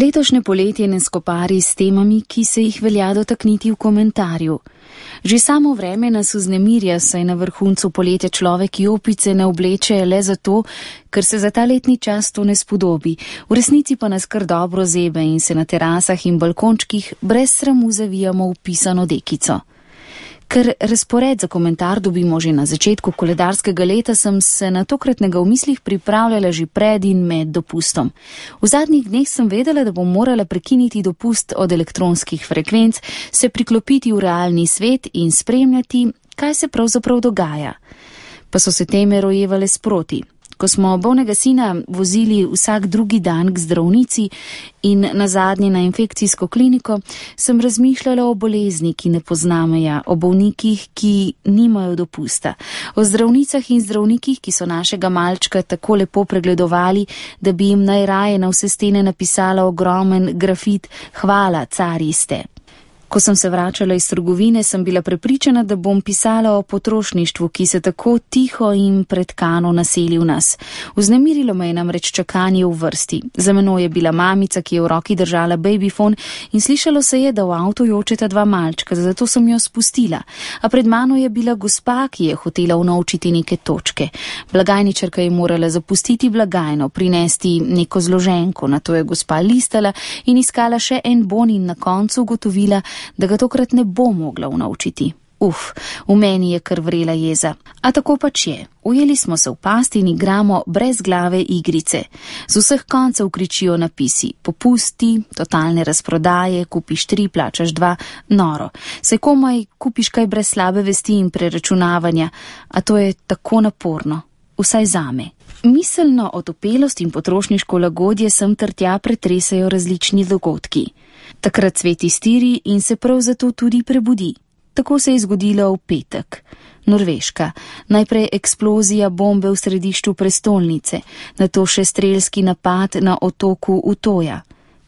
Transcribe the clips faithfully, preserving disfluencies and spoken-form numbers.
Letošnje poletje ne skopari s temami, ki se jih velja dotakniti v komentarju. Že samo vreme nas vznemirja, saj na vrhuncu poletja človek jopice ne obleče le zato, ker se za ta letni čas to ne spodobi, v resnici pa nas kar dobro zebe in se na terasah in balkončkih brez sramu zavijamo v pisano dekico. Ker razpored za komentar dobimo že na začetku koledarskega leta, sem se na tokratnega v mislih pripravljala že pred in med dopustom. V zadnjih dneh sem vedela, da bom morala prekiniti dopust od elektronskih frekvenc, se priklopiti v realni svet in spremljati, kaj se pravzaprav dogaja. Pa so se teme rojevale sproti. Ko smo bolnega sina vozili vsak drugi dan k zdravnici in nazadnje na infekcijsko kliniko, sem razmišljala o bolezni, ki ne pozna meja, o bolnikih, ki nimajo dopusta, o zdravnicah in zdravnikih, ki so našega malčka tako lepo pregledovali, da bi jim najraje na vse stene napisala ogromen grafit "Hvala, cari ste". Ko sem se vračala iz trgovine, sem bila prepričana, da bom pisala o potrošništvu, ki se tako tiho in pretkano naseli v nas. Vznemirilo me je namreč čakanje v vrsti. Za menoj je bila mamica, ki je v roki držala babyfon in slišalo se je, da v avtu jočeta dva malčka, zato sem jo spustila. A pred mano je bila gospa, ki je hotela unovčiti neke točke. Blagajničarka je morala zapustiti blagajno, prinesti neko zloženko, nato je gospa listala in iskala še en bon in na koncu ugotovila, da ga tokrat ne bo mogla unovčiti. Uf, v meni je kar vrela jeza. A tako pač je. Ujeli smo se v pasti in igramo brez glave igrice. Z vseh koncev kričijo napisi. Popusti, totalne razprodaje, kupiš tri, plačaš dva, noro. Saj komaj kupiš kaj brez slabe vesti in preračunavanja, a to je tako naporno. Vsaj zame. Miselno otopelost in potrošniško lagodje sem ter tja pretresajo različni dogodki. Takrat svet iztiri in se prav zato tudi prebudi. Tako se je zgodilo v petek. Norveška. Najprej eksplozija bombe v središču prestolnice, nato še strelski napad na otoku Utoja.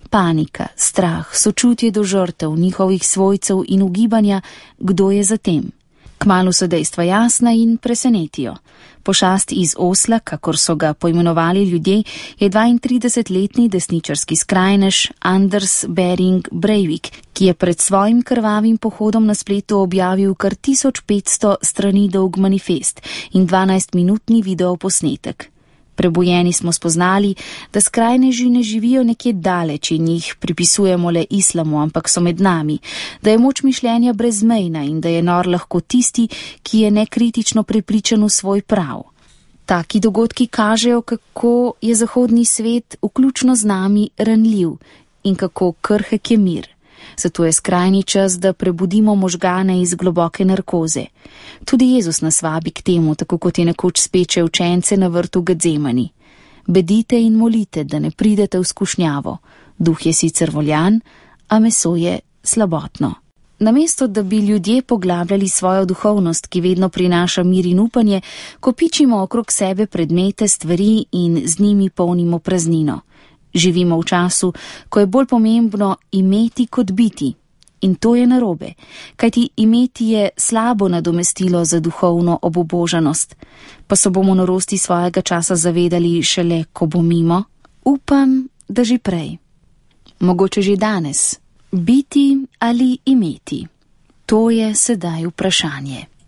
Panika, strah, sočutje do žrtev, njihovih svojcev in ugibanja, kdo je za tem. Kmalu so dejstva jasna in presenetijo. Pošast iz Osla, kakor so ga poimenovali ljudje, je dvaintridesetletni desničarski skrajnež Anders Behring Breivik, ki je pred svojim krvavim pohodom na spletu objavil kar tisoč petsto strani dolg manifest in dvanajstminutni videoposnetek. Prebujeni smo spoznali, da skrajneži ne živijo nekje daleč in jih pripisujemo le islamu, ampak so med nami, da je moč mišljenja brezmejna in da je nor lahko tisti, ki je nekritično prepričan v svoj prav. Taki dogodki kažejo, kako je zahodni svet, vključno z nami, ranljiv in kako krhek je mir. Zato je skrajni čas, da prebudimo možgane iz globoke narkoze. Tudi Jezus nas vabi k temu, tako kot je nekoč speče učence na vrtu Gedzemani. Bedite in molite, da ne pridete v skušnjavo. Duh je sicer voljan, a meso je slabotno. Namesto, da bi ljudje poglabljali svojo duhovnost, ki vedno prinaša mir in upanje, kopičimo okrog sebe predmete, stvari in z njimi polnimo praznino. Živimo v času, ko je bolj pomembno imeti kot biti. In to je narobe, kajti imeti je slabo nadomestilo za duhovno obubožanost. Pa se bomo norosti svojega časa zavedali šele, ko bo mimo? Upam, da že prej. Mogoče že danes. Biti ali imeti? To je sedaj vprašanje.